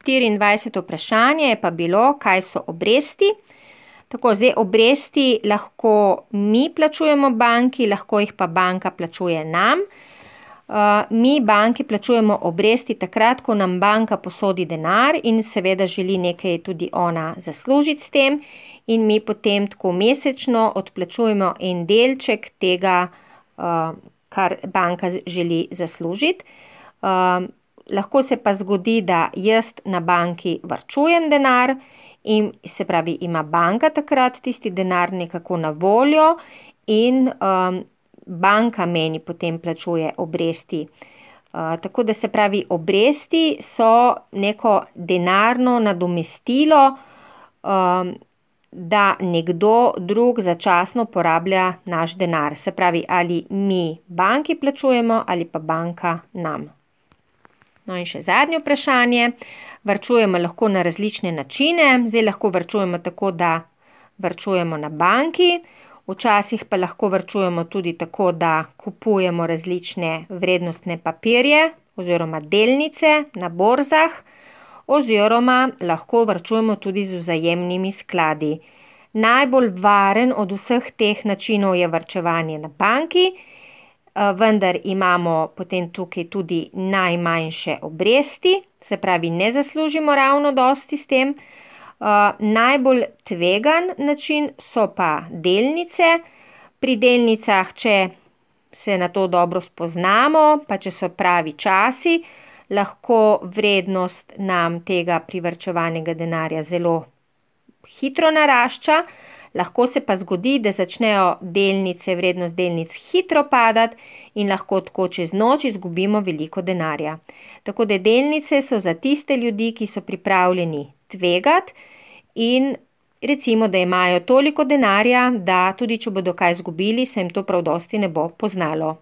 24. vprašanje je pa bilo, kaj so obresti. Tako, zdaj obresti lahko mi plačujemo banki, lahko jih pa banka plačuje nam. Mi banki plačujemo obresti takrat, ko nam banka posodi denar in seveda želi nekaj tudi ona zaslužiti s tem in mi potem tako mesečno odplačujemo en delček tega, kar banka želi zaslužiti. Lahko se pa zgodi, da jaz na banki varčujem denar in se pravi, ima banka takrat tisti denar nekako na voljo in banka meni potem plačuje obresti. Tako da se pravi, obresti so neko denarno nadomestilo, da nekdo drug začasno porablja naš denar. Se pravi, ali mi banki plačujemo ali pa banka nam. No in še zadnje vprašanje. Varčujemo lahko na različne načine. Zdaj lahko varčujemo tako, da varčujemo na banki. Včasih pa lahko varčujemo tudi tako, da kupujemo različne vrednostne papirje oziroma delnice na borzah oziroma lahko varčujemo tudi z vzajemnimi skladi. Najbolj varen od vseh teh načinov je varčevanje na banki, vendar imamo potem tukaj tudi najmanjše obresti, se pravi, ne zaslužimo ravno dosti s tem. Najbolj tvegan način so pa delnice. Pri delnicah, če se na to dobro spoznamo, pa če so pravi časi, lahko vrednost nam tega privarčevanega denarja zelo hitro narašča. Lahko se pa zgodi, da začnejo delnice, vrednost delnic hitro padati in lahko tako čez noč izgubimo veliko denarja. Tako da delnice so za tiste ljudi, ki so pripravljeni tvegati in recimo, da imajo toliko denarja, da tudi če bodo kaj izgubili, se jim to prav dosti ne bo poznalo.